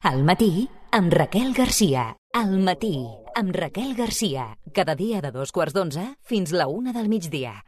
Al matí, amb Raquel Garcia. Al matí, amb Raquel Garcia. Cada dia de 11:15 fins la 1 del migdia.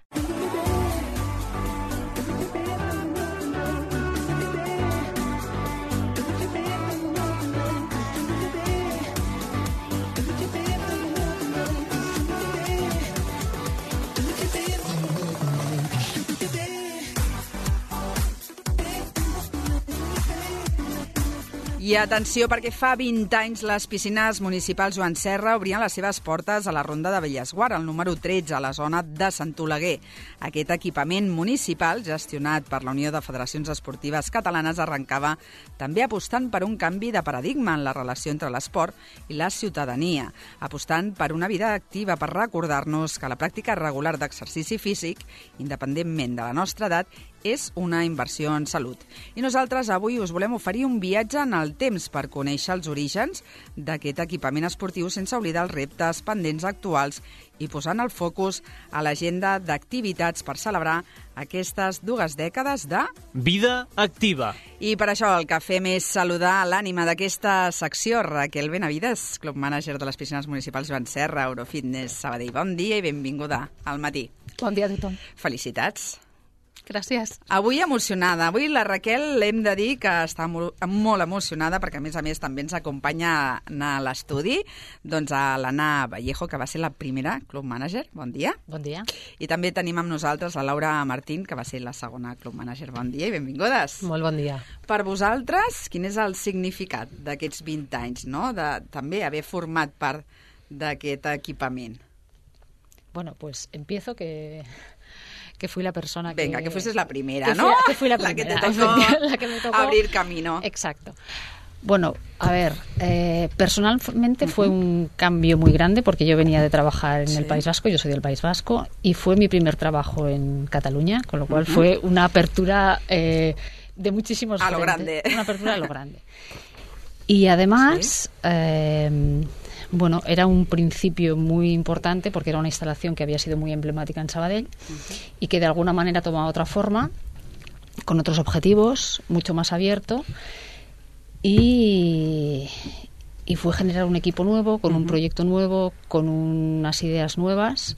I atenció, perquè fa 20 anys les piscines municipals Joan Serra obrien les seves portes a la Ronda de Bellesguard, al número 13, a la zona de Sant Oleguer. Aquest equipament municipal, gestionat per la Unió de Federacions Esportives Catalanes, arrencava també apostant per un canvi de paradigma en la relació entre l'esport i la ciutadania, apostant per una vida activa, per recordar-nos que la pràctica regular d'exercici físic, independentment de la nostra edat, és una inversió en salut. I nosaltres avui us volem oferir un viatge en el temps per conèixer els orígens d'aquest equipament esportiu sense oblidar els reptes pendents actuals i posant el focus a l'agenda d'activitats per celebrar aquestes 2 dècades de vida activa. I per això el que fem és saludar l'ànima d'aquesta secció, Raquel Benavides, club manager de les piscines municipals Joan Serra, Eurofitness Sabadell. Bon dia i benvinguda al matí. Bon dia a tothom. Felicitats. Gràcies. Avui emocionada. Avui la Raquel hem de dir que està molt emocionada perquè, a més, també ens acompanya a l'estudi doncs a l'Anna Vallejo, que va ser la primera club manager. Bon dia. Bon dia. I també tenim amb nosaltres la Laura Martín, que va ser la segona club manager. Bon dia i benvingudes. Molt bon dia. Per vosaltres, quin és el significat d'aquests 20 anys, no? De també haver format part d'aquest equipament? Bueno, pues empiezo que fui la persona que... Venga, que fueses la primera, ¿no? Que fui la primera. La que me tocó abrir camino. Exacto. Bueno, a ver, personalmente fue un cambio muy grande porque yo venía de trabajar en el País Vasco, yo soy del País Vasco, y fue mi primer trabajo en Cataluña, con lo cual fue una apertura de muchísimos frentes. A lo grande. Una apertura a lo grande. Y además... bueno, era un principio muy importante porque era una instalación que había sido muy emblemática en Sabadell y que de alguna manera tomaba otra forma, con otros objetivos, mucho más abierto, y fue generar un equipo nuevo, con un proyecto nuevo, con unas ideas nuevas,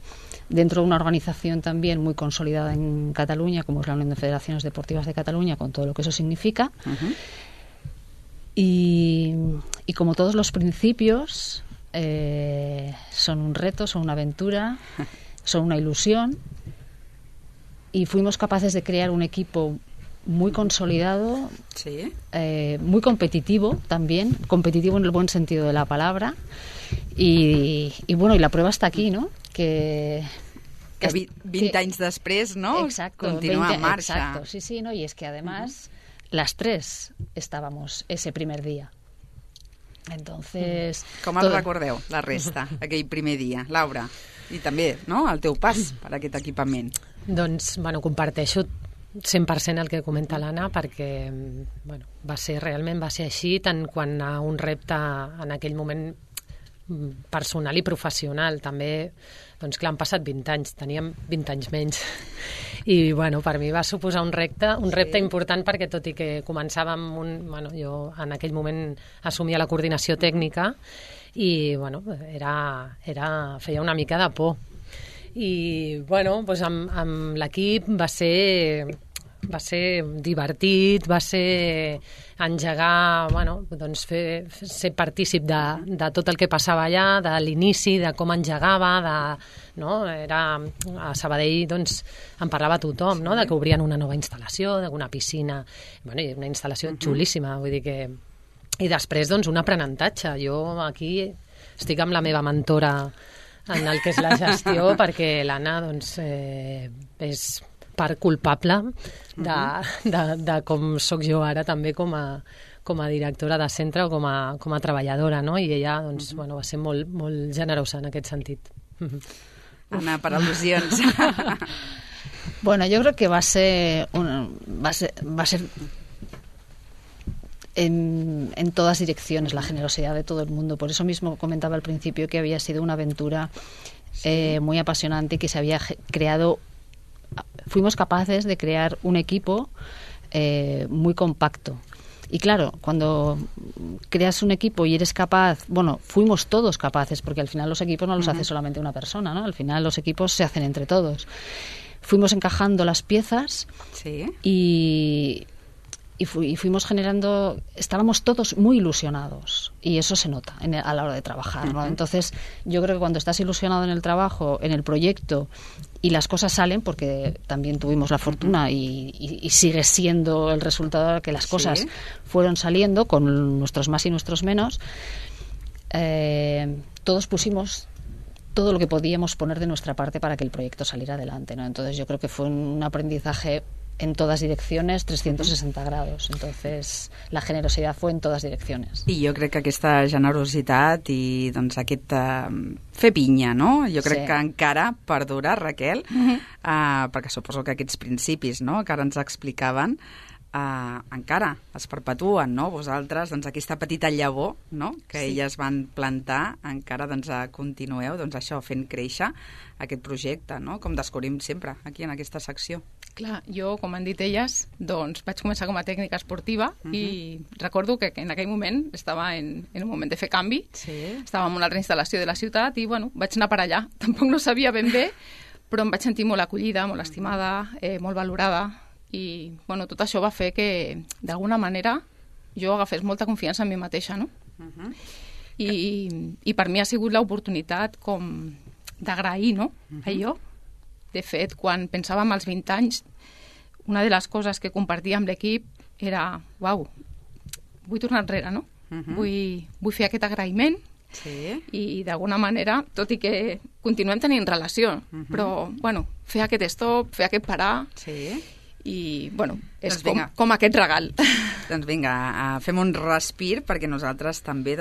dentro de una organización también muy consolidada en Cataluña, como es la Unión de Federaciones Deportivas de Cataluña, con todo lo que eso significa. Y como todos los principios... son un reto, son una aventura, son una ilusión, y fuimos capaces de crear un equipo muy consolidado, muy competitivo también, competitivo en el buen sentido de la palabra, y bueno, y la prueba está aquí, ¿no? Que 20 anys després, no? Exacto, Continua en marxa. Exacto, sí, no, y es que además las tres estábamos ese primer día. Entonces... Com el recordeu, la resta, aquell primer dia? Laura, i també, no?, el teu pas per aquest equipament. Doncs, bueno, comparteixo 100% el que comenta l'Anna, perquè, bueno, realment va ser així, tant quan a un repte en aquell moment personal i professional. També, doncs clar, han passat 20 anys, teníem 20 anys menys. I, bueno, per mi va suposar un repte important, perquè tot i que començàvem jo en aquell moment assumia la coordinació tècnica i, bueno, feia una mica de por. I, bueno, doncs amb l'equip va ser divertit, va ser engegar, doncs ser partícip de tot el que passava allà, de l'inici, de com engegava, a Sabadell doncs en parlava tothom, no?, de que obrien una nova instal·lació, d'una piscina, una instal·lació xulíssima, vull dir que... I després, doncs, un aprenentatge. Jo aquí estic amb la meva mentora en el que és la gestió, perquè l'Anna, doncs, és part culpable de com sóc jo ara també com a directora de centre o com a treballadora, no? I ella, doncs, bueno, va ser molt, molt generosa en aquest sentit. Anna, per al·lusions. Bueno, yo creo que va a ser en todas direcciones la generosidad de todo el mundo. Por eso mismo comentaba al principio que había sido una aventura muy apasionante, que se había creado. Fuimos capaces de crear un equipo muy compacto Y claro, cuando creas un equipo y eres capaz, bueno, fuimos todos capaces, porque al final los equipos no los hace solamente una persona, ¿no? Al final los equipos se hacen entre todos. Fuimos encajando las piezas y fuimos generando, estábamos todos muy ilusionados y eso se nota a la hora de trabajar, ¿no? Entonces yo creo que cuando estás ilusionado en el trabajo, en el proyecto y las cosas salen, porque también tuvimos la fortuna y sigue siendo el resultado de que las cosas fueron saliendo con nuestros más y nuestros menos, todos pusimos todo lo que podíamos poner de nuestra parte para que el proyecto saliera adelante, ¿no? Entonces yo creo que fue un aprendizaje en todas direcciones, 360 grados. Entonces, la generositat fue en totes direccions. I jo crec que aquesta generositat i doncs aquest fer pinya, no? Jo crec que encara perdura, Raquel, perquè suposo que aquests principis, no?, que ara ens explicaven, encara es perpetuen, no? Vosaltres, doncs, aquesta petita llavor, no?, que elles van plantar, encara doncs, continueu, doncs, això, fent créixer aquest projecte, no?, com descobrim sempre aquí en aquesta secció. Clar, jo, com han dit elles, doncs vaig començar com a tècnica esportiva i recordo que en aquell moment estava en un moment de fer canvi, estava en una altra instal·lació de la ciutat i, bueno, vaig anar per allà. Tampoc no sabia ben bé, però em vaig sentir molt acollida, molt estimada, molt valorada i, bueno, tot això va fer que, d'alguna manera, jo agafés molta confiança en mi mateixa, no? I per mi ha sigut l'oportunitat com d'agrair, no?, allò. De fet, quan pensàvem als 20 anys, una de les coses que compartia amb l'equip era, uau, vull tornar enrere, no? Vull fer aquest agraïment i d'alguna manera, tot i que continuem tenint relació, però, bueno, fer aquest stop, fer aquest parar i, bueno, és com aquest regal. Doncs vinga, fem un respir perquè nosaltres també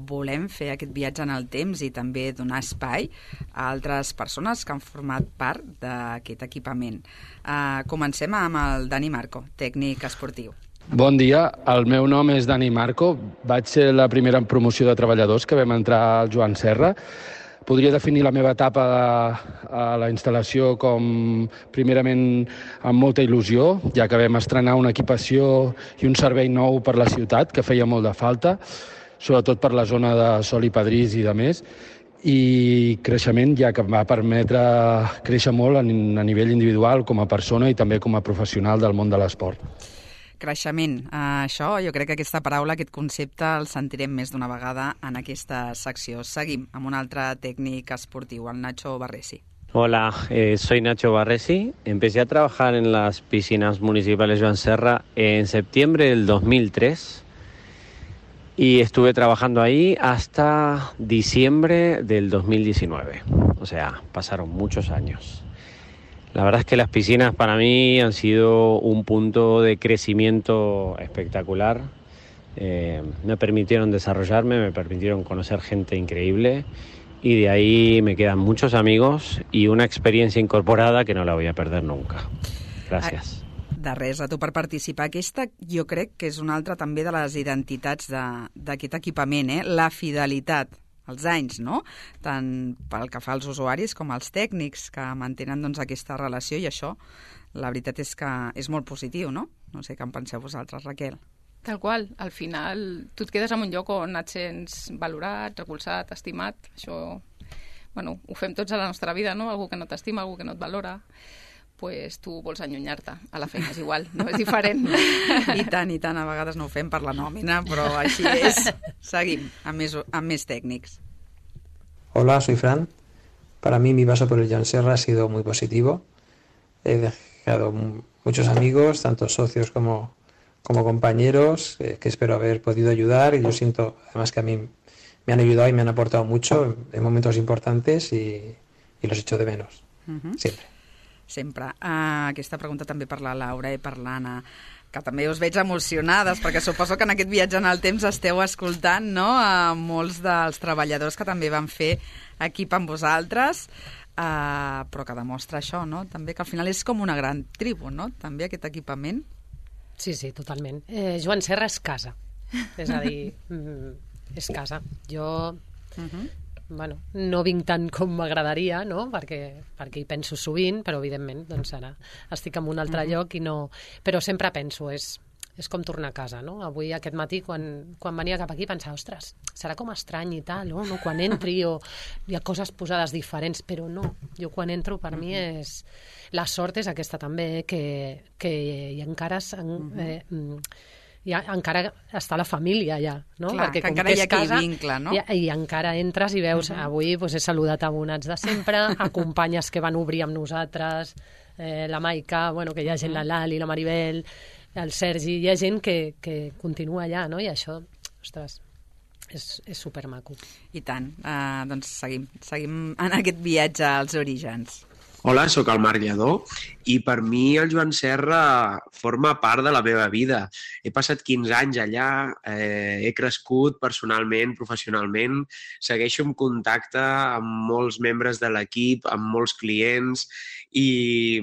volem fer aquest viatge en el temps i també donar espai a altres persones que han format part d'aquest equipament. Comencem amb el Dani Marco, tècnic esportiu. Bon dia, el meu nom és Dani Marco, vaig ser la primera promoció de treballadors que vam entrar al Joan Serra. Podria definir la meva etapa a la instal·lació com, primerament, amb molta il·lusió, ja que vam estrenar una equipació i un servei nou per la ciutat, que feia molt de falta, sobretot per la zona de Sol i Padrís i de més, i creixement, ja que em va permetre créixer molt a nivell individual, com a persona i també com a professional del món de l'esport. Creixement. Això, jo crec que aquesta paraula, aquest concepte, el sentirem més d'una vegada en aquesta secció. Seguim amb un altre tècnic esportiu, el Nacho Barresi. Hola, soy Nacho Barresi. Empecé a trabajar en las piscinas municipales Joan Serra en septiembre del 2003 y estuve trabajando ahí hasta diciembre del 2019. O sea, pasaron muchos años. La verdad es que las piscinas para mí han sido un punto de crecimiento espectacular. Me permitieron desarrollarme, me permitieron conocer gente increíble y de ahí me quedan muchos amigos y una experiencia incorporada que no la voy a perder nunca. Gracias. De res, a tu per participar. Aquesta jo crec que és una altra també de les identitats d'aquest equipament, la fidelitat. Els anys, no? Tant pel que fa als usuaris com als tècnics que mantenen aquesta relació i això, la veritat és que és molt positiu, no? No sé què en penseu vosaltres, Raquel. Tal qual, al final tu et quedes en un lloc on et sents valorat, recolzat, estimat, això, bueno, ho fem tots a la nostra vida, no? Algú que no t'estima, algú que no et valora, pues tu vols allunyar-te. A la feina és igual, no és diferent. I tant, a vegades no ho fem per la nòmina, però així és. Seguim, amb més tècnics. Hola, soy Fran. Para mí mi paso por el Joan Serra ha sido muy positivo. He dejado muchos amigos, tanto socios como compañeros, que espero haber podido ayudar, y yo siento además que a mí me han ayudado y me han aportado mucho en momentos importantes y los echo de menos, Sempre. Aquesta pregunta també per la Laura i per l'Anna, que també us veig emocionades, perquè suposo que en aquest viatge en el temps esteu escoltant, no?, a molts dels treballadors que també van fer equip amb vosaltres, però que demostra això, no?, també que al final és com una gran tribu, no?, també aquest equipament. Sí, totalment. Joan Serra és casa, és a dir, és casa. Jo... Bueno, no vinc tant com m'agradaria, no? perquè hi penso sovint, però evidentment doncs ara estic en un altre lloc i no... Però sempre penso, és com tornar a casa, no? Avui, aquest matí, quan venia cap aquí, pensava, ostres, serà com estrany i tal, no? Quan entri o hi ha coses posades diferents, però no. Jo quan entro, per mi és... La sort és aquesta també, que hi encara... encara està la família allà, no? Clar, perquè que encara hi ha aquell vincle, no? I encara entres i veus, avui he saludat abonats de sempre, a companyes que van obrir amb nosaltres, la Maica, que hi ha gent, la Lali, la Maribel, el Sergi, hi ha gent que continua allà, no? I això, ostres, és supermaco. I tant. Doncs seguim en aquest viatge als orígens. Hola, sóc el Marc Lledó i per mi el Joan Serra forma part de la meva vida. He passat 15 anys allà, he crescut personalment, professionalment, segueixo en contacte amb molts membres de l'equip, amb molts clients i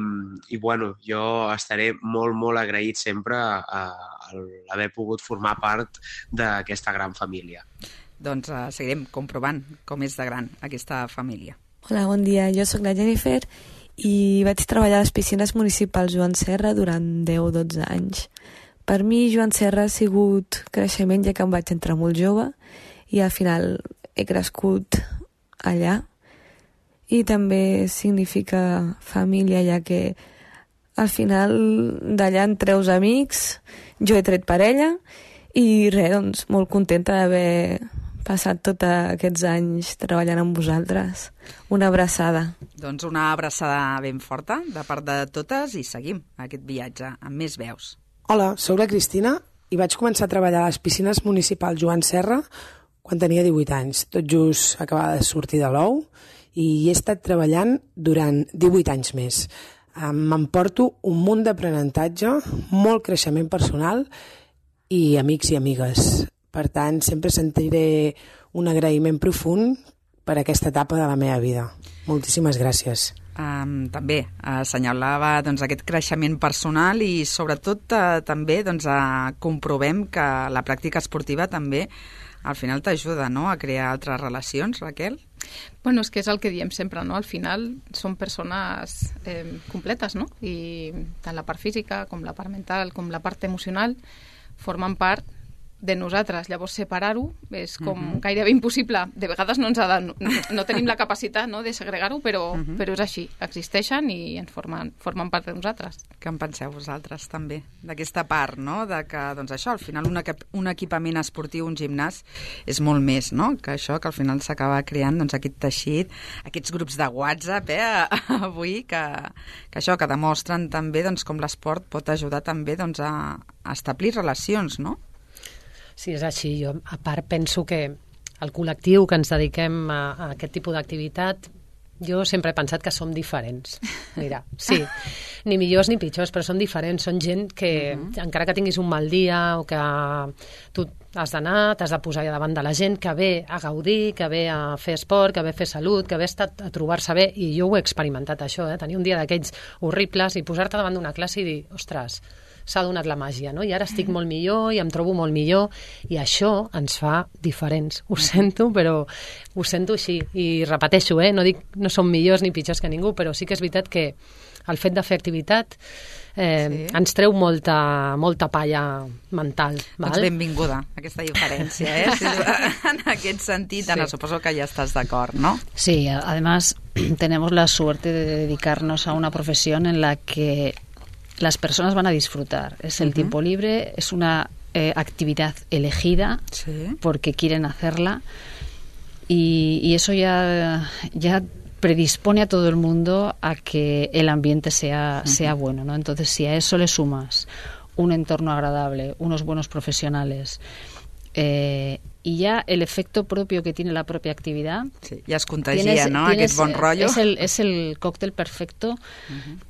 jo estaré molt, molt agraït sempre a haver pogut formar part d'aquesta gran família. Doncs seguirem comprovant com és de gran aquesta família. Hola, bon dia. Jo sóc la Jennifer i vaig treballar a les piscines municipals Joan Serra durant 10-12 anys. Per mi, Joan Serra ha sigut creixement, ja que em vaig entrar molt jove i al final he crescut allà. I també significa família, ja que al final d'allà en treus amics, jo he tret parella i res, doncs molt contenta d'haver passat tots aquests anys treballant amb vosaltres. Una abraçada. Doncs una abraçada ben forta de part de totes i seguim aquest viatge amb més veus. Hola, sóc la Cristina i vaig començar a treballar a les piscines municipals Joan Serra quan tenia 18 anys. Tot just acabava de sortir de l'ou i he estat treballant durant 18 anys més. M'emporto un munt d'aprenentatge, molt creixement personal i amics i amigues. Per tant, sempre sentiré un agraïment profund per aquesta etapa de la meva vida. Moltíssimes gràcies. També assenyalava aquest creixement personal i sobretot també comprovem que la pràctica esportiva també al final t'ajuda, no?, a crear altres relacions, Raquel? Bueno, és que és el que diem sempre, no? Al final són persones completes, no? I tant la part física com la part mental com la part emocional formen part de nosaltres. Llavors separar-ho és com gairebé impossible. De vegades no tenim la capacitat, no, de segregar-ho, però és així. Existeixen i ens formen part de nosaltres. Què en penseu vosaltres també d'aquesta part, no? De que, això, al final un equipament esportiu, un gimnàs, és molt més, no? Que això, que al final s'acaba creant aquest teixit, aquests grups de WhatsApp, avui, que això, que demostren també com l'esport pot ajudar també a establir relacions, no? Sí, és així. Jo, a part, penso que el col·lectiu que ens dediquem a aquest tipus d'activitat, jo sempre he pensat que som diferents. Mira, sí, ni millors ni pitjors, però són diferents. Són gent que, encara que tinguis un mal dia o que tu has d'anar, t'has de posar davant de la gent que ve a gaudir, que ve a fer esport, que ve a fer salut, que ve a trobar-se bé, i jo ho he experimentat, això, tenir un dia d'aquells horribles i posar-te davant d'una classe i dir, ostres, s'ha donat la màgia, no? I ara estic molt millor i em trobo molt millor i això ens fa diferents. Ho sento, però ho sento així. I repeteixo, no dic no som millors ni pitjors que ningú, però sí que és veritat que el fet de fer activitat ens treu molta palla mental. Val? Doncs benvinguda, aquesta diferència, en aquest sentit, Ana, suposo que ja estàs d'acord, ¿no? Sí, además tenemos la suerte de dedicarnos a una profesión en la que las personas van a disfrutar. Es el tiempo libre, es una actividad elegida porque quieren hacerla y eso ya predispone a todo el mundo a que el ambiente sea bueno, ¿no? Entonces, si a eso le sumas un entorno agradable, unos buenos profesionales y ya el efecto propio que tiene la propia actividad. Sí, ya es contagia, ¿no? Aquest bon rollo. Es el cóctel perfecto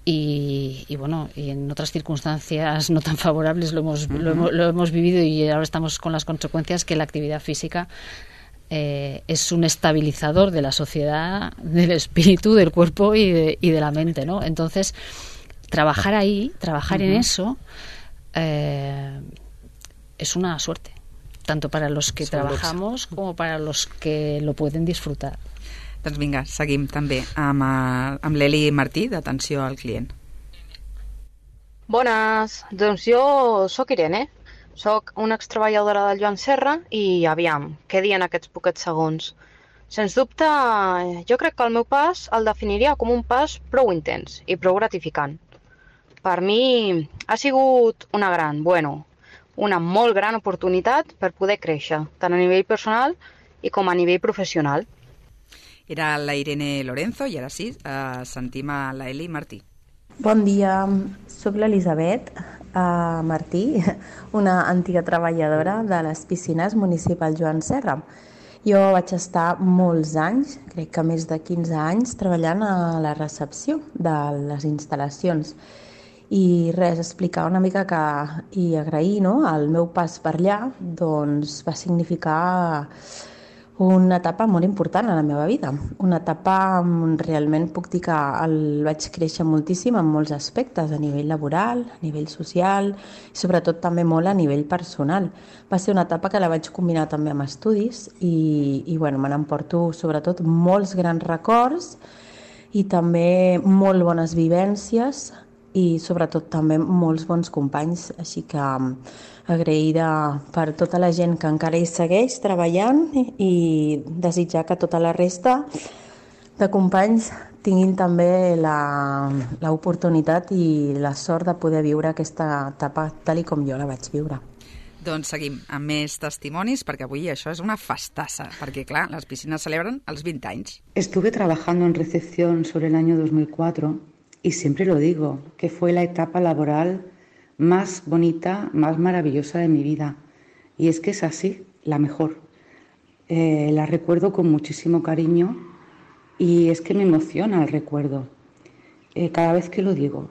y bueno, y en otras circunstancias no tan favorables lo hemos vivido y ahora estamos con las consecuencias que la actividad física es un estabilizador de la sociedad, del espíritu, del cuerpo y de la mente, ¿no? Entonces, trabajar en eso es una suerte, tanto para los que trabajamos como para los que lo pueden disfrutar. Doncs vinga, seguim també amb l'Eli Martí, d'Atenció al Client. Bones, doncs jo sóc Irene, sóc una extreballadora del Joan Serra i aviam, què dient aquests poquets segons? Sens dubte, jo crec que el meu pas el definiria com un pas prou intens i prou gratificant. Per mi ha sigut una molt gran oportunitat per poder créixer, tant a nivell personal i com a nivell professional. Era la Irene Lorenzo i ara sí, sentim a la Eli Martí. Bon dia, soc l'Elisabet Martí, una antiga treballadora de les piscines municipals Joan Serra. Jo vaig estar molts anys, crec que més de 15 anys, treballant a la recepció de les instal·lacions. I res, explicar una mica i agrair, no? El meu pas per allà doncs, va significar una etapa molt important a la meva vida. Una etapa on realment puc dir que vaig créixer moltíssim en molts aspectes, a nivell laboral, a nivell social i sobretot també molt a nivell personal. Va ser una etapa que la vaig combinar també amb estudis i bueno, me n'emporto sobretot molts grans records i també molt bones vivències i sobretot també molts bons companys, així que agraïda per tota la gent que encara hi segueix treballant i desitjar que tota la resta de companys tinguin també l'oportunitat i la sort de poder viure aquesta etapa tal i com jo la vaig viure. Doncs seguim amb més testimonis, perquè avui això és una festassa, perquè clar, les piscines celebren els 20 anys. Estuve trabajando en recepción sobre el año 2004 y siempre lo digo, que fue la etapa laboral más bonita, más maravillosa de mi vida. Y es que es así, la mejor. La recuerdo con muchísimo cariño y es que me emociona el recuerdo. Cada vez que lo digo,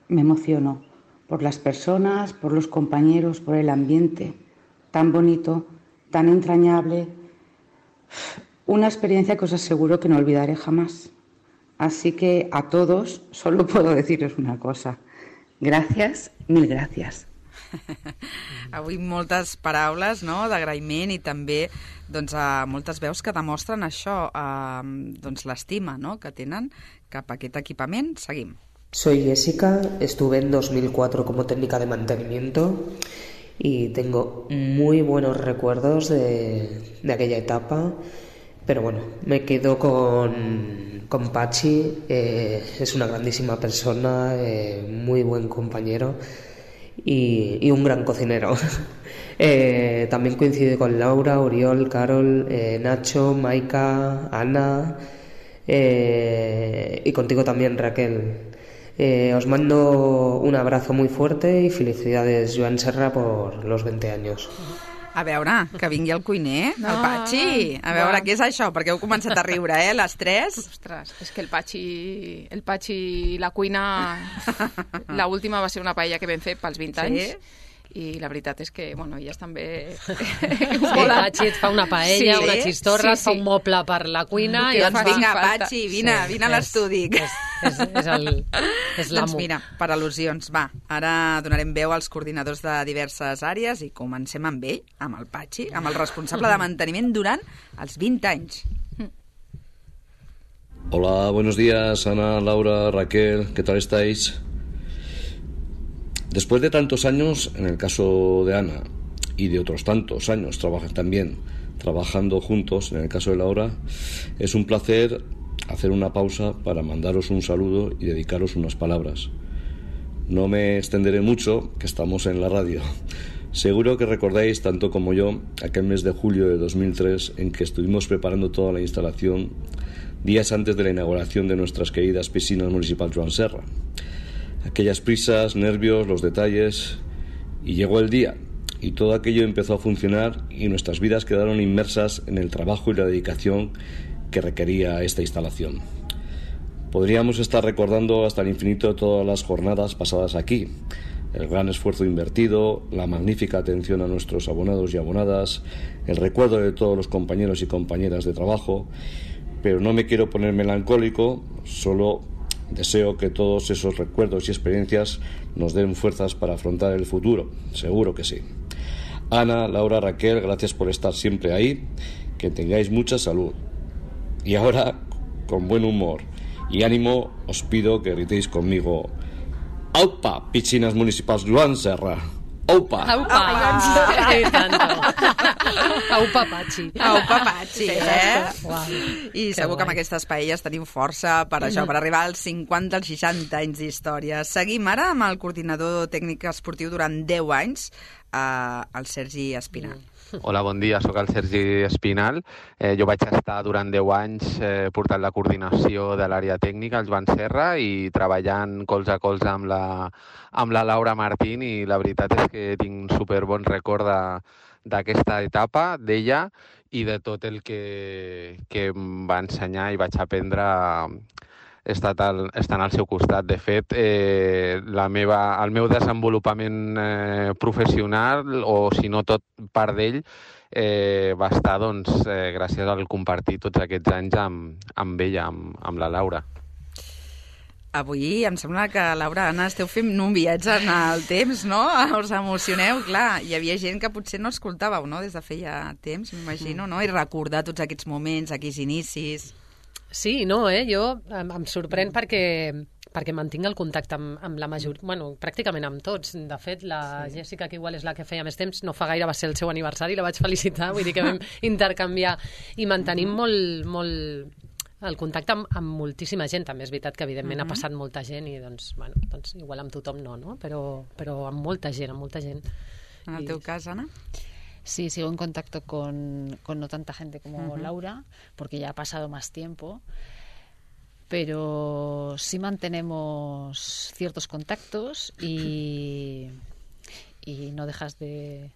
me emociono por las personas, por los compañeros, por el ambiente tan bonito, tan entrañable. Una experiencia que os aseguro que no olvidaré jamás. Así que a todos solo puedo decirles una cosa. Gràcies, mil gràcies. Avui moltes paraules, no?, d'agraïment i també doncs, moltes veus que demostren això, doncs, l'estima, no?, que tenen cap a aquest equipament. Seguim. Soy Jessica, estuve en 2004 como técnica de mantenimiento y tengo muy buenos recuerdos de aquella etapa, pero bueno, me quedo con Pachi. Es una grandísima persona, muy buen compañero y un gran cocinero. También coincide con Laura, Oriol, Carol, Nacho, Maika, Ana y contigo también, Raquel. Os mando un abrazo muy fuerte y felicidades, Joan Serra, por los 20 años. A veure, que vingui el cuiner, el Patxi. A veure, què és això? Perquè heu començat a riure, les tres. Ostres, és que el Patxi i la cuina... L'última va ser una paella que vam fer pels 20 anys. I la veritat és que, bueno, elles també... El Patxi et fa una paella, una xistorra, et fa un moble per la cuina... Doncs vinga, Patxi, vine a l'estudi. És l'amo. Doncs mira, per al·lusions, va. Ara donarem veu als coordinadors de diverses àrees i comencem amb ell, amb el Patxi, amb el responsable de manteniment durant els 20 anys. Hola, buenos días, Ana, Laura, Raquel, ¿qué tal estáis? Después de tantos años, en el caso de Ana, y de otros tantos años trabajando juntos, en el caso de Laura, es un placer hacer una pausa para mandaros un saludo y dedicaros unas palabras. No me extenderé mucho, que estamos en la radio. Seguro que recordáis, tanto como yo, aquel mes de julio de 2003 en que estuvimos preparando toda la instalación días antes de la inauguración de nuestras queridas piscinas municipales Joan Serra. Aquellas prisas, nervios, los detalles, y llegó el día y todo aquello empezó a funcionar y nuestras vidas quedaron inmersas en el trabajo y la dedicación que requería esta instalación. Podríamos estar recordando hasta el infinito todas las jornadas pasadas aquí, el gran esfuerzo invertido, la magnífica atención a nuestros abonados y abonadas, el recuerdo de todos los compañeros y compañeras de trabajo, pero no me quiero poner melancólico, solo deseo que todos esos recuerdos y experiencias nos den fuerzas para afrontar el futuro, seguro que sí. Ana, Laura, Raquel, gracias por estar siempre ahí, que tengáis mucha salud. Y ahora, con buen humor y ánimo, os pido que gritéis conmigo: Aupa, piscines municipals Joan Serra. Aupa! Aupa! Aupa Pachi. Aupa Pachi, Uau, I segur que amb aquestes paelles tenim força per això, per arribar als 50, als 60 anys d'història. Seguim ara amb el coordinador tècnic esportiu durant 10 anys, el Sergi Espinal. Hola, bon dia, sóc el Sergi Espinal. Jo vaig estar durant 10 anys portant la coordinació de l'àrea tècnica al Joan Serra i treballant colze a colze amb la Laura Martín, i la veritat és que tinc un superbon record d'aquesta etapa, d'ella i de tot el que em va ensenyar i vaig aprendre estant al seu costat. De fet, el meu desenvolupament professional, o si no tot part d'ell, va estar gràcies al compartir tots aquests anys amb ella, amb la Laura. Avui em sembla que, Laura, Anna, esteu fent un viatge en el temps, no? Us emocioneu, clar. Hi havia gent que potser no escoltàveu, no?, des de feia temps, m'imagino, no? I recordar tots aquests moments, aquells inicis. Sí, no, jo em sorprèn perquè mantinc el contacte amb la majoria, bueno, pràcticament amb tots. De fet, la Jèssica, que igual és la que feia més temps, no fa gaire va ser el seu aniversari, la vaig felicitar, vull dir que vam intercanviar i mantenim molt el contacte amb moltíssima gent. També és veritat que evidentment ha passat molta gent i doncs igual amb tothom no? Però amb molta gent. En el teu cas, Anna? Sí, sigo en contacto con no tanta gente como Laura, porque ya ha pasado más tiempo, pero sí mantenemos ciertos contactos y no dejas de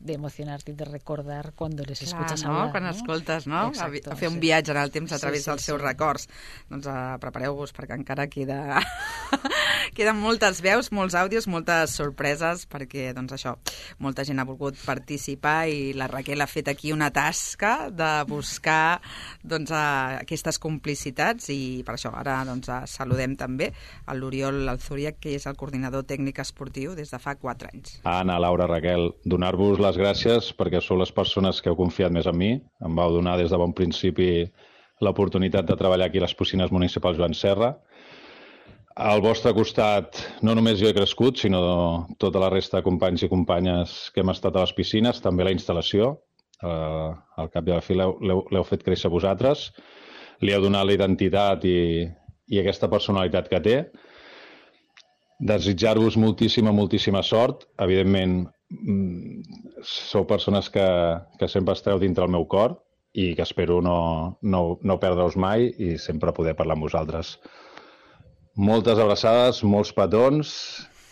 emocionarte y de recordar cuando les escuchas hablar. Quan escoltes, no? Exacto, a fer un viatge en el temps a través dels seus records. Doncs prepareu-vos, perquè encara queden moltes veus, molts àudios, moltes sorpreses, perquè, doncs això, molta gent ha volgut participar i la Raquel ha fet aquí una tasca de buscar aquestes complicitats, i per això ara saludem també a l'Oriol Alzúria, que és el coordinador tècnic esportiu des de fa 4 anys. Anna, Laura, Raquel, donar-vos les gràcies perquè sou les persones que heu confiat més en mi. Em vau donar des de bon principi l'oportunitat de treballar aquí a les piscines municipals Joan Serra. Al vostre costat no només jo he crescut, sinó tota la resta de companys i companyes que hem estat a les piscines, també la instal·lació. Al cap i a la fi l'heu fet créixer vosaltres, li heu donat la identitat i aquesta personalitat que té. Desitjar-vos moltíssima sort. Evidentment, sou persones que sempre estareu dintre el meu cor i que espero no perdre-us mai i sempre poder parlar amb vosaltres. Moltes abraçades, molts petons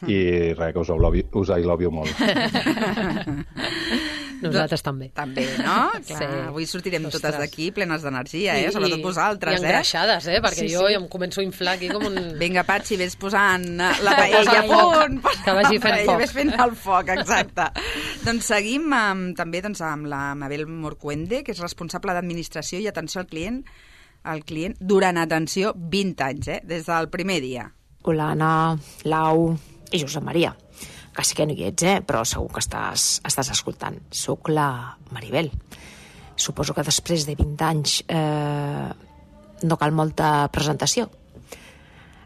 i res, que us I love you molt. Nosaltres també. També, no? Clar, avui sortirem totes d'aquí plenes d'energia, sobretot vosaltres. I engreixades, perquè jo em començo a inflar aquí com un... Vinga, Patxi, ves posant la paella a punt. Que vagi fent foc. Ves fent el foc, exacte. Doncs seguim també amb la Mabel Morcuende, que és responsable d'administració i atenció al client durant, atenció, 20 anys, des del primer dia. Hola, Anna, Lau i Josep Maria. Quasi que no hi ets, però segur que estàs escoltant. Soc la Maribel. Suposo que després de 20 anys no cal molta presentació.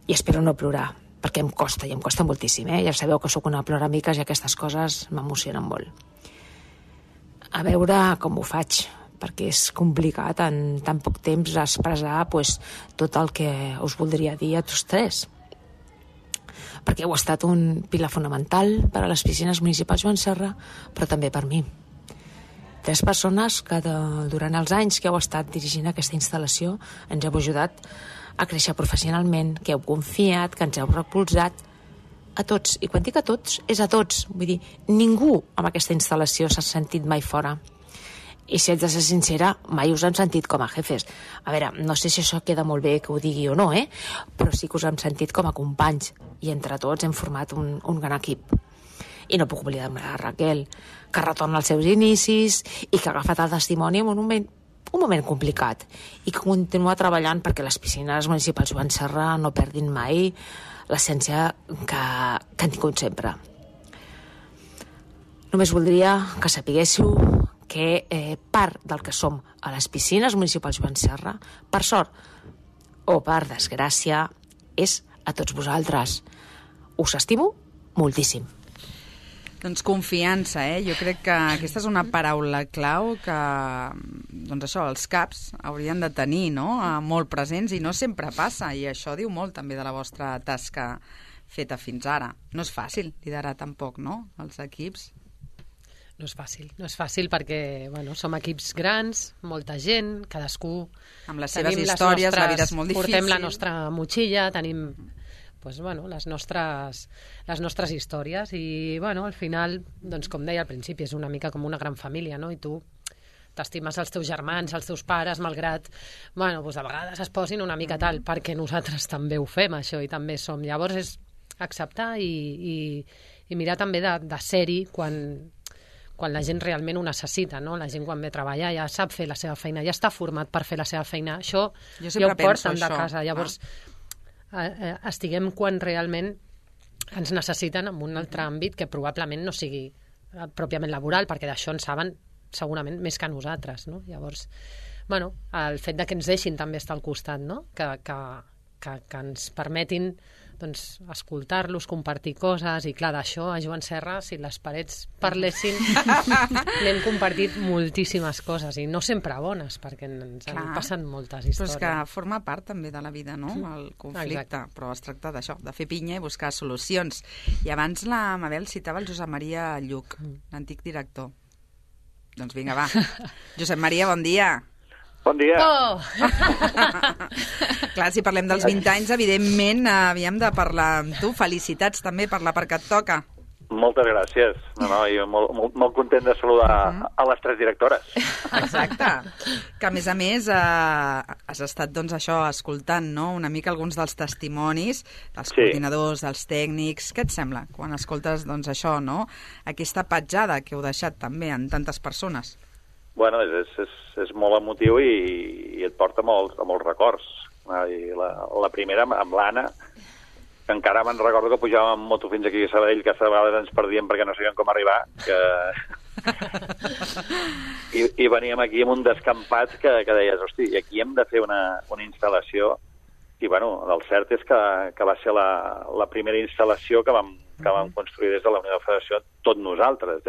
I espero no plorar, perquè em costa moltíssim. Ja sabeu que sóc una ploramiques i aquestes coses m'emocionen molt. A veure com ho faig, perquè és complicat en tan poc temps expressar tot el que us voldria dir a tots tres. Perquè heu estat un pilar fonamental per a les piscines municipals Joan Serra, però també per mi. 3 persones que durant els anys que heu estat dirigint aquesta instal·lació ens heu ajudat a créixer professionalment, que heu confiat, que ens heu recolzat a tots. I quan dic a tots, és a tots. Vull dir, ningú amb aquesta instal·lació s'ha sentit mai fora. I si haig de ser sincera, mai us hem sentit com a jefes. A veure, no sé si això queda molt bé que ho digui o no, però sí que us hem sentit com a companys i entre tots hem format un gran equip. I no puc oblidar-me de Raquel, que retorna als seus inicis i que ha agafat el testimoni en un moment complicat i que continua treballant perquè les piscines municipals Joan Serra no perdin mai l'essència que han tingut sempre. Només voldria que sapiguéssiu que part del que som a les piscines municipals Joan Serra, per sort o per desgràcia, és a tots vosaltres. us estimo moltíssim. Doncs confiança, Jo crec que aquesta és una paraula clau que, doncs això, els caps haurien de tenir, no?, molt presents, i no sempre passa, i això diu molt també de la vostra tasca feta fins ara. No és fàcil liderar tampoc, no?, els equips. No és fàcil perquè, bueno, som equips grans, molta gent, cadascú... Amb les seves històries, la vida és molt difícil. Portem la nostra motxilla, tenim... Pues, bueno, les nostres històries i, bueno, al final, doncs, com deia al principi, és una mica com una gran família, no? I tu t'estimes els teus germans, els teus pares, malgrat, bueno, doncs a vegades es posin una mica tal, perquè nosaltres també ho fem, això, i també som. Llavors és acceptar i mirar també de ser-hi quan la gent realment ho necessita, no? La gent quan ve a treballar ja sap fer la seva feina, ja està format per fer la seva feina. Això ja ho porten de casa. Llavors, estiguem quan realment ens necessiten en un altre àmbit que probablement no sigui pròpiament laboral, perquè d'això en saben segurament més que nosaltres, no? Llavors, bueno, el fet de que ens deixin també estar al costat, no? Que ens permetin, doncs, escoltar-los, compartir coses, i clar, d'això a Joan Serra, si les parets parlessin, n'hem compartit moltíssimes coses, i no sempre bones, perquè ens han passat moltes històries. Però és que forma part també de la vida, no?, el conflicte. Exacte. Però es tracta d'això, de fer pinya i buscar solucions. I abans la Mabel citava el Josep Maria Lluc, l'antic director. Doncs vinga, va. Josep Maria, bon dia. Bon dia. Oh! Clar, si parlem dels 20 anys, evidentment havíem de parlar amb tu. Felicitats també per la part que et toca. Moltes gràcies. Jo molt content de saludar a les 3 directores. Exacte. Que, a més, has estat, doncs, això, escoltant, no?, una mica alguns dels testimonis dels coordinadors, dels tècnics. Què et sembla quan escoltes, doncs, això, no?, aquesta petjada que heu deixat també en tantes persones? Bueno, és molt emotiu i et porta molts records. I la primera, amb l'Anna, que encara me'n recordo que pujàvem amb moto fins aquí a Sabadell, que a vegades ens perdíem perquè no sabíem com arribar, i veníem aquí amb un descampat que deies, hosti, aquí hem de fer una instal·lació, i bueno, el cert és que va ser la primera instal·lació que vam construir des de la Unió de Federació, tot nosaltres,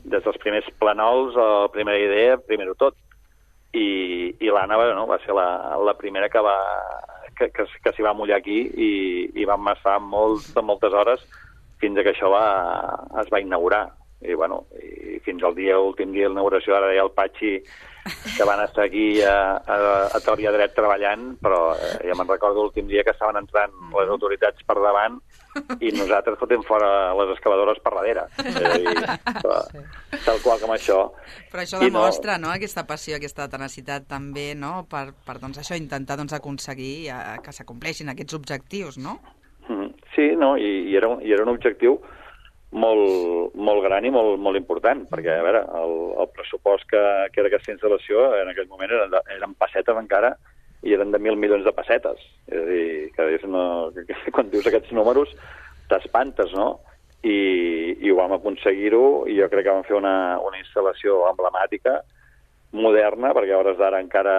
des dels primers planols, la primera idea, primer-ho tot. I l'Anna va ser la primera que s'hi va mullar aquí i vam estar moltes hores fins que això es va inaugurar. I, bueno, i fins al últim dia de l'inauguració, ara deia el Patxi que van estar aquí a tort i a dret treballant, però ja me'n recordo l'últim dia que estaven entrant les autoritats per davant i nosaltres fotem fora les excavadores per darrere. Tal qual com això. Però això demostra, no?, aquesta passió, aquesta tenacitat també, no?, per doncs, això, intentar aconseguir que s'acompleixin aquests objectius, no? Sí, no, i era un objectiu molt gran i molt important, perquè, a veure, el pressupost que era aquesta instal·lació en aquell moment eren pessetes encara, i eren de 1.000 milions de pessetes. És a dir, que quan dius aquests números t'espantes, no? I ho vam aconseguir-ho, i jo crec que vam fer una instal·lació emblemàtica, moderna, perquè a hores d'ara encara,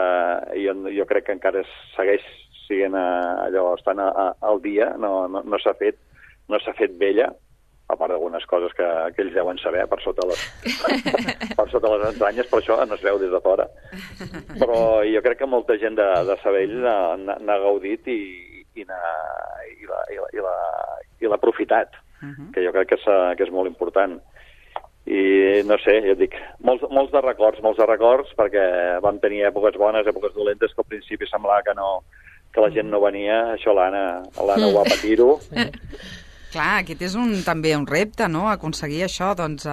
jo crec que encara segueix sent allò, estan al dia, no s'ha fet vella, a part d'algunes coses que ells deuen saber per sota les entranyes, per això no es veu des de fora. Però jo crec que molta gent de Sabadell n'ha gaudit i l'ha aprofitat, que jo crec que és molt important. I no sé, ja et dic, molts de records, perquè vam tenir èpoques bones, èpoques dolentes, que al principi semblava que la gent no venia. Això l'Anna ho va patir-ho. Clar, aquest és també un repte, no?, aconseguir això, doncs,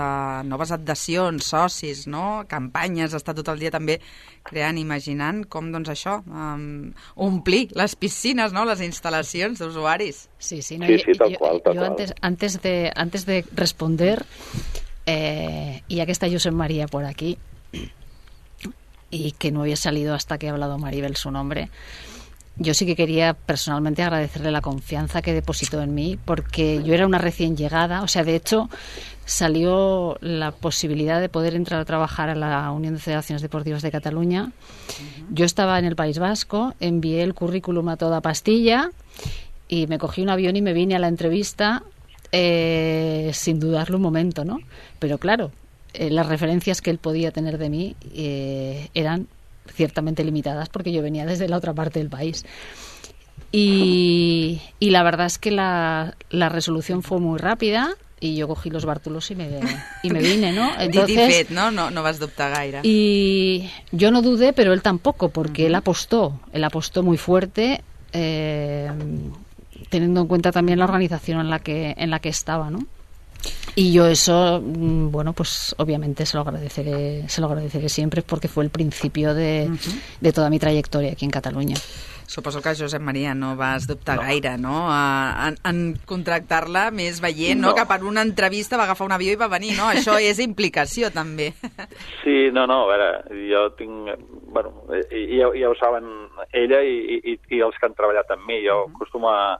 noves adhesions, socis, no?, campanyes, estar tot el dia també creant, imaginant com, doncs, això, omplir les piscines, no?, les instal·lacions d'usuaris. Sí, no, sí, tal qual. Yo antes de responder, y ya que está Josep María por aquí, y que no había salido hasta que ha hablado Maribel su nombre, yo sí que quería personalmente agradecerle la confianza que depositó en mí, porque yo era una recién llegada, o sea, de hecho salió la posibilidad de poder entrar a trabajar a la Unión de Federaciones Deportivas de Cataluña. Yo estaba en el País Vasco, envié el currículum a toda pastilla y me cogí un avión y me vine a la entrevista sin dudarlo un momento, ¿no? Pero claro, las referencias que él podía tener de mí eran ciertamente limitadas porque yo venía desde la otra parte del país. Y la verdad es que la resolución fue muy rápida y yo cogí los bártulos y me vine, ¿no? Dit i fet, no? No vas dubtar gaire. Y yo no dudé, pero él tampoco, porque él apostó muy fuerte, teniendo en cuenta también la organización en la que estaba, ¿no? Y yo eso, bueno, pues obviamente se lo agradeceré siempre porque fue el principio de toda mi trayectoria aquí en Catalunya. Suposo que, Josep Maria, no vas dubtar gaire, no? En contractar-la, més veient, no? Que per una entrevista va agafar un avió i va venir, no? Això és implicació, també. Sí, no, a veure, jo tinc... Bueno, ja ho saben ella i els que han treballat amb mi. Jo acostumo a...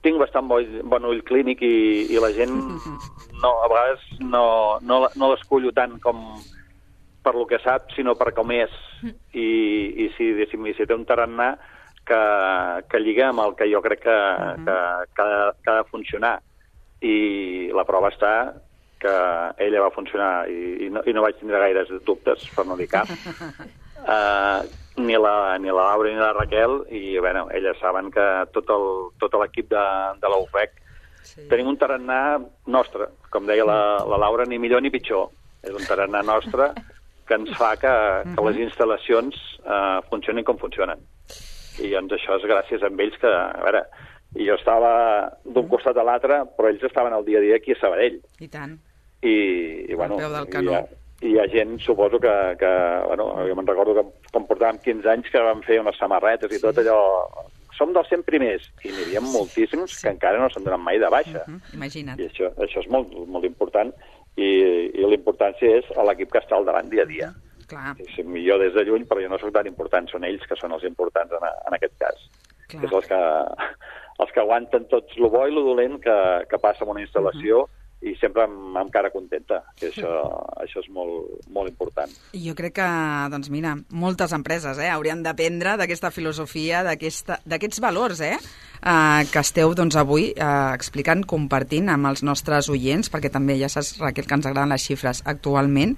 Tinc bastant bon ull clínic i la gent a vegades no l'escullo tant com per lo que sap, sinó per com és. I si té un tarannà que lliga amb el que jo crec que ha de funcionar. I la prova està que ella va funcionar i no vaig tindre gaires dubtes, per no dir cap. Ni la Laura ni la Raquel, i bueno, elles saben que tot l'equip de la UFEC tenim un tarannà nostre, com deia la Laura, ni millor ni pitjor. És un tarannà nostre que ens fa que les instal·lacions funcionin com funcionen. I doncs això és gràcies a ells que, a veure, jo estava d'un costat a l'altre, però ells estaven al dia a dia aquí a Sabadell. I tant. I bueno, hi ha gent, suposo que bueno, jo me'n recordo que quan portàvem 15 anys que vam fer unes samarretes i tot allò... Som dels 100 primers, i n'hi havia moltíssims que encara no s'han donat mai de baixa. Imagina't. I això és molt, molt important, i la importància és a l'equip que està al davant dia a dia. Clar. Jo des de lluny, però jo no soc tan important, són ells que són els importants en aquest cas. Clar. Que és els que aguanten tot lo bo i lo dolent que passa en una instal·lació, i sempre amb cara contenta, que això és molt, molt important. Jo crec que, doncs mira, moltes empreses haurien d'aprendre d'aquesta filosofia, d'aquests valors que esteu doncs, avui explicant, compartint amb els nostres oients, perquè també ja saps, Raquel, que ens agraden les xifres actualment,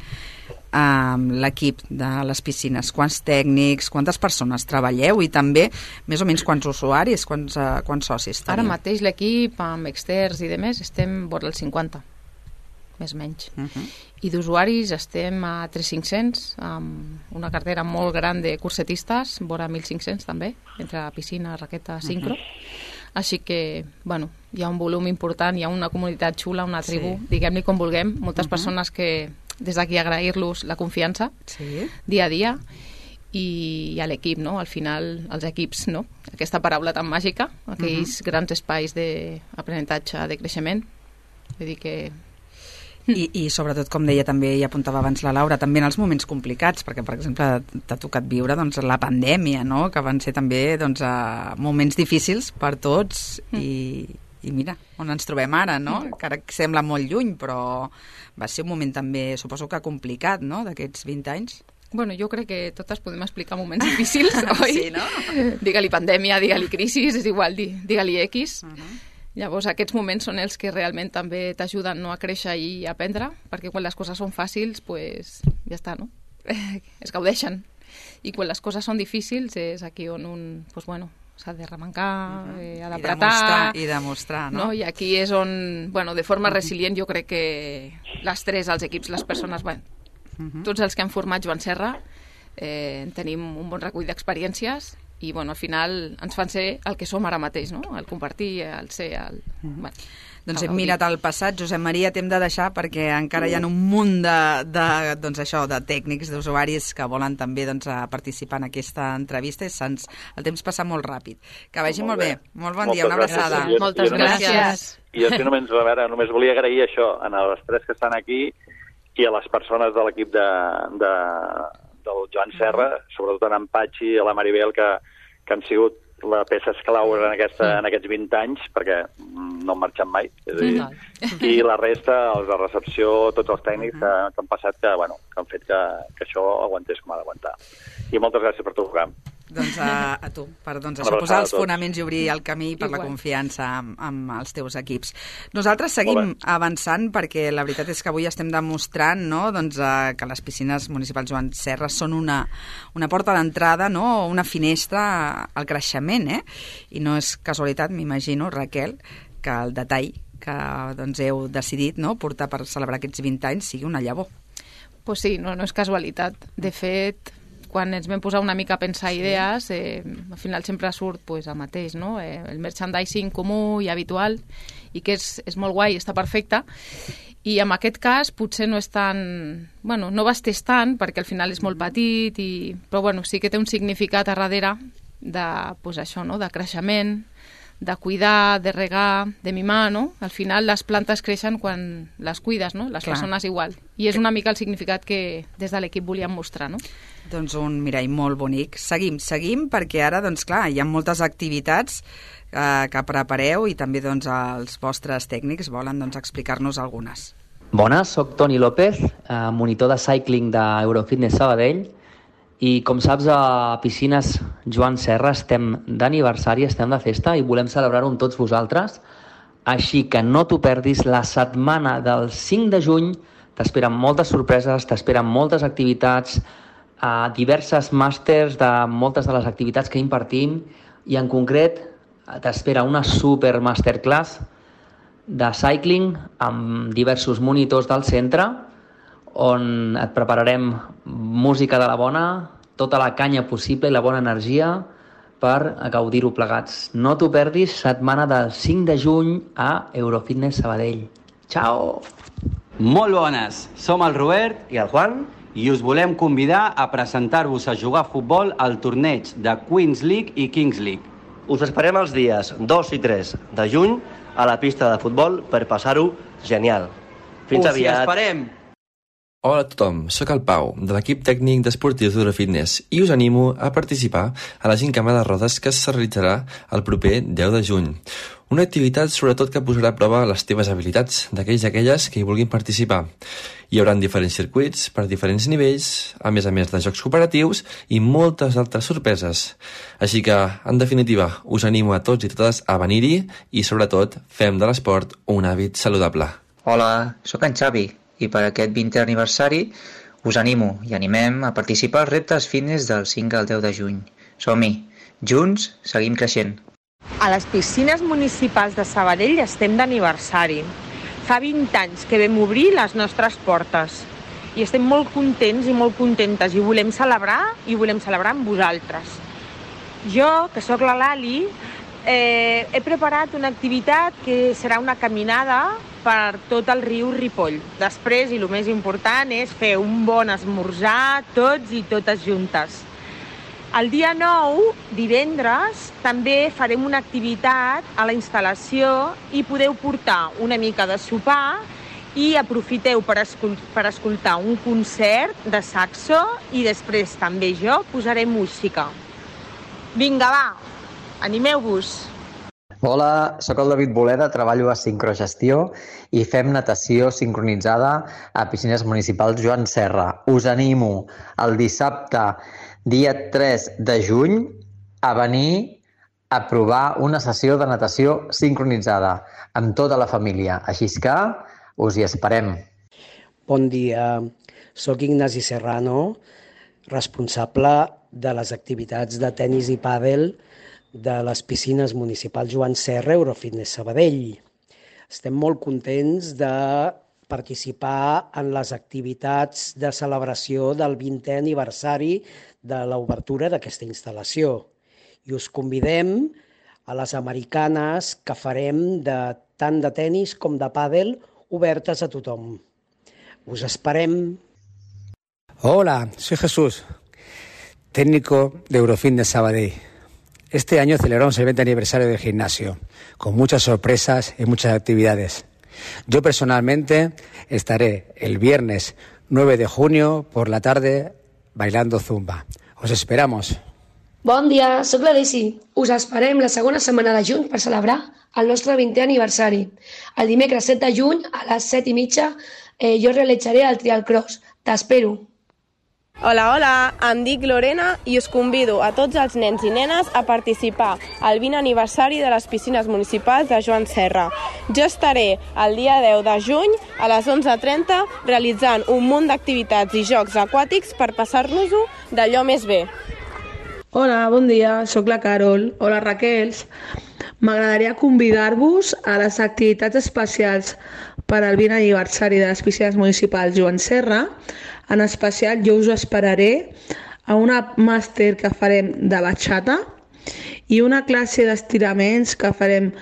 l'equip de les piscines, quants tècnics, quantes persones treballeu i també més o menys quants usuaris, quants socis teniu? Ara mateix l'equip amb externs i demés estem vora els 50, més o menys. I d'usuaris estem a 3.500, amb una cartera molt gran de cursetistes, vora 1.500 també, entre piscina, raqueta, sincro. Així que, bueno, hi ha un volum important, hi ha una comunitat xula, una tribu, diguem-li com vulguem, moltes persones que des d'aquí agrair-los la confiança dia a dia, i a l'equip, no? Al final, els equips, no? Aquesta paraula tan màgica, aquells grans espais d'aprenentatge, de creixement. Vull dir que... I sobretot, com deia també i apuntava abans la Laura, també en els moments complicats, perquè, per exemple, t'ha tocat viure doncs, la pandèmia, no? Que van ser també doncs, moments difícils per tots i mira, on ens trobem ara, no? Que ara sembla molt lluny, però va ser un moment també, suposo que complicat, no?, d'aquests 20 anys. Bueno, jo crec que totes podem explicar moments difícils, oi? Sí, no? Digue-li pandèmia, digue-li crisi, és igual, digue-li X. Llavors, aquests moments són els que realment també t'ajuden, no?, a créixer i a aprendre, perquè quan les coses són fàcils, pues, ja està, no? Es gaudeixen. I quan les coses són difícils és aquí on un, pues, bueno, s'ha de remencar, ha d'apretar... I demostrar, no? I aquí és on, bueno, de forma resilient, jo crec que les tres, els equips, les persones, bueno, tots els que han format Joan Serra, tenim un bon recull d'experiències i, bueno, al final ens fan ser el que som ara mateix, no? El compartir, el ser... Bueno, doncs hem mirat al passat. Josep Maria, t'hem de deixar perquè encara hi ha un munt doncs això, de tècnics, d'usuaris que volen també doncs, participar en aquesta entrevista i el temps passa molt ràpid. Que vagi molt bé. Molt bon dia, una abraçada. Moltes gràcies. I jo només volia agrair això a les tres que estan aquí i a les persones de l'equip del Joan Serra, sobretot en Patxi i a la Maribel, que han sigut la peça esclau en aquests 20 anys, perquè no han marxat mai. És a dir, i la resta, els de recepció, tots els tècnics que han passat, que han fet que això aguantés com ha d'aguantar. I moltes gràcies per trucar. Doncs a tu, per això posar els fonaments i obrir el camí per la confiança amb els teus equips. Nosaltres seguim avançant perquè la veritat és que avui estem demostrant, no, doncs, que les piscines municipals Joan Serra són una porta d'entrada, no, una finestra al creixement, i no és casualitat, m'imagino, Raquel, que el detall que doncs, heu decidit, no, portar per celebrar aquests 20 anys sigui una llavor. Pues sí, no és casualitat. De fet, quan ens vam posar una mica a pensar idees, al final sempre surt el mateix, no? El merchandising comú i habitual, i que és molt guai, està perfecte. I en aquest cas potser no és tan... Bueno, no vestes tant, perquè al final és molt petit, però bueno, sí que té un significat a darrere això, no? De creixement, de cuidar, de regar, de mimar, no? Al final les plantes creixen quan les cuides, no? Les persones igual. I és una mica el significat que des de l'equip volíem mostrar, no? Doncs un mirall molt bonic. Seguim perquè ara, doncs clar, hi ha moltes activitats que prepareu i també doncs els vostres tècnics volen doncs explicar-nos algunes. Bones, soc Toni López, monitor de cycling d'Eurofitness Sabadell, i com saps, a Piscines Joan Serra estem d'aniversari, estem de festa i volem celebrar-ho amb tots vosaltres. Així que no t'ho perdis, la setmana del 5 de juny t'esperen moltes sorpreses, t'esperen moltes activitats, diverses màsters de moltes de les activitats que impartim, i en concret t'espera una super masterclass de cycling amb diversos monitors del centre, on et prepararem música de la bona, tota la canya possible i la bona energia per gaudir-ho plegats. No t'ho perdis, setmana del 5 de juny a Eurofitness Sabadell. Ciao! Molt bones! Som el Robert i el Juan i us volem convidar a presentar-vos a jugar a futbol al torneig de Queens League i Kings League. Us esperem els dies 2 i 3 de juny a la pista de futbol per passar-ho genial. Fins aviat! Us hi esperem! Hola a tothom, sóc el Pau, de l'equip tècnic d'Esportius d'Eurofitness, i us animo a participar a la Gincama de Rodes que es realitzarà el proper 10 de juny. Una activitat sobretot que posarà a prova les teves habilitats d'aquells i aquelles que hi vulguin participar. Hi haurà diferents circuits per diferents nivells, a més de jocs cooperatius i moltes altres sorpreses. Així que, en definitiva, us animo a tots i totes a venir-hi i sobretot fem de l'esport un hàbit saludable. Hola, sóc en Xavi, i per aquest 20è aniversari us animo i animem a participar als reptes fitness del 5 al 10 de juny. Som-hi! Junts seguim creixent. A les piscines municipals de Sabadell estem d'aniversari. Fa 20 anys que vam obrir les nostres portes i estem molt contents i molt contentes i volem celebrar amb vosaltres. Jo, que sóc la Lali, he preparat una activitat que serà una caminada per tot el riu Ripoll. Després, i el més important, és fer un bon esmorzar tots i totes juntes. El dia 9, divendres, també farem una activitat a la instal·lació i podeu portar una mica de sopar i aprofiteu per escoltar un concert de saxo i després també jo posaré música. Vinga, va, animeu-vos! Hola, sóc el David Boleda, treballo a Sincrogestió i fem natació sincronitzada a Piscines Municipals Joan Serra. Us animo el dissabte, dia 3 de juny, a venir a provar una sessió de natació sincronitzada amb tota la família. Així que us hi esperem. Bon dia, sóc Ignasi Serrano, responsable de les activitats de tenis i pàdel de les piscines municipals Joan Serra, Eurofitness Sabadell. Estem molt contents de participar en les activitats de celebració del 20è aniversari de l'obertura d'aquesta instal·lació. I us convidem a les americanes que farem tant de tenis com de pàdel obertes a tothom. Us esperem. Hola, soy Jesús, técnico de Eurofitness Sabadell. Este año celebramos el 20 aniversario del gimnasio, con muchas sorpresas y muchas actividades. Yo personalmente estaré el viernes 9 de junio por la tarde bailando zumba. Os esperamos. Bon dia, sóc la Daisy. Us esperem la segona setmana de juny per celebrar el nostre 20è aniversari. El dimecres 7 de juny a les 7:30 jo realitzaré el trial cross. T'espero. Hola, hola, em dic Lorena i us convido a tots els nens i nenes a participar al 20 aniversari de les piscines municipals de Joan Serra. Jo estaré el dia 10 de juny a les 11:30 realitzant un munt d'activitats i jocs aquàtics per passar-nos-ho d'allò més bé. Hola, bon dia, sóc la Carol. Hola, Raquels. M'agradaria convidar-vos a les activitats especials per al 20 aniversari de les piscines municipals Joan Serra. En especial, jo us esperaré a una màster que farem de batxata i una classe d'estiraments que farem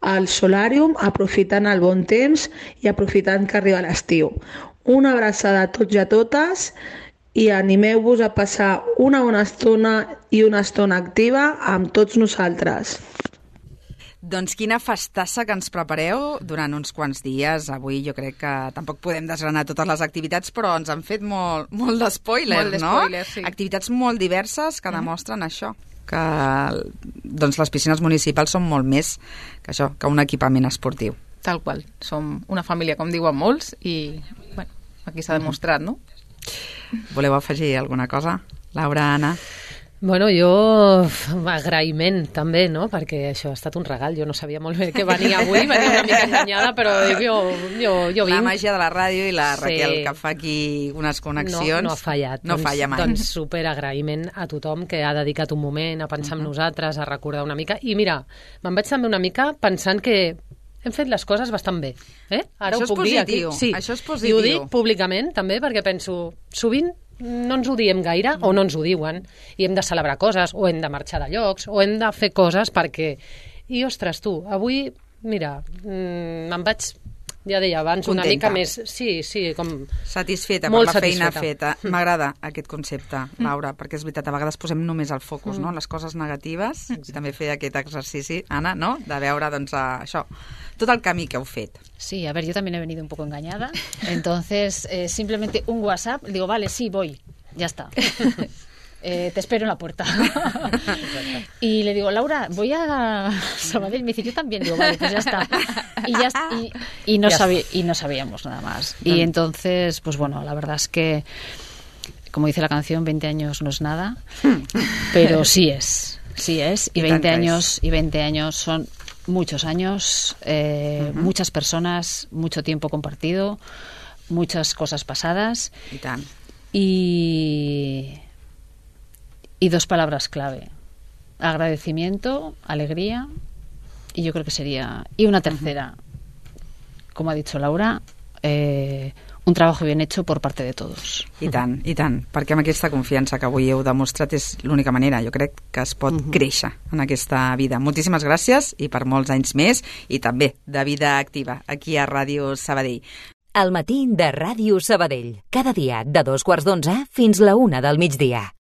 al solàrium, aprofitant el bon temps i aprofitant que arriba l'estiu. Una abraçada a tots i a totes i animeu-vos a passar una bona estona i una estona activa amb tots nosaltres. Doncs quina festassa que ens prepareu durant uns quants dies. Avui jo crec que tampoc podem desgranar totes les activitats, però ens han fet molt d'espoiler, no? Sí. Activitats molt diverses que demostren això, que doncs, les piscines municipals són molt més que això, que un equipament esportiu. Tal qual. Som una família, com diuen molts, i bueno, aquí s'ha demostrat, no? Voleu afegir alguna cosa? Laura, Anna? Bueno, jo agraïment també, no? Perquè això ha estat un regal. Jo no sabia molt bé què venia avui, venia una mica enganyada, però jo vinc. La màgia de la ràdio i la Raquel, que fa aquí unes connexions. No ha fallat. No falla mai. Doncs superagraïment a tothom que ha dedicat un moment a pensar en nosaltres, a recordar una mica. I mira, me'n vaig també una mica pensant que hem fet les coses bastant bé. Ara això ho puc dir aquí. Sí, això és positiu. I ho dic públicament també perquè penso, sovint no ens ho diem gaire o no ens ho diuen i hem de celebrar coses o hem de marxar de llocs o hem de fer coses perquè... I, ostres, tu, avui, mira, me'n vaig, ja deia abans, contenta. Una mica més... Sí, com... Satisfeta molt per la feina satisfeta. feta. M'agrada aquest concepte, Laura, perquè és veritat, a vegades posem només el focus, no?, en les coses negatives, i també fer aquest exercici, Anna, no?, de veure, doncs, això, tot el camí que heu fet. Sí, a ver, yo también he venido un poco engañada. Entonces, simplemente un WhatsApp, digo, vale, sí, voy, ya está. Te espero en la puerta. Y le digo, Laura, voy a Sabadell. Me dice, yo también. Digo, vale, pues ya está. Y no sabíamos nada más. Y entonces, pues bueno, la verdad es que, como dice la canción, 20 años no es nada, pero sí es. Y 20 años son muchos años, muchas personas, mucho tiempo compartido, muchas cosas pasadas. Y tan. Y dos palabras clave: agradecimiento, alegría, y yo creo que sería... Y una tercera, como ha dicho Laura, un trabajo bien hecho por parte de todos. I tant, perquè amb aquesta confiança que avui heu demostrat és l'única manera, jo crec, que es pot créixer en aquesta vida. Moltíssimes gràcies i per molts anys més, i també de vida activa aquí a Ràdio Sabadell. El matí de Ràdio Sabadell, cada dia de 2:15 fins la 1 del migdia.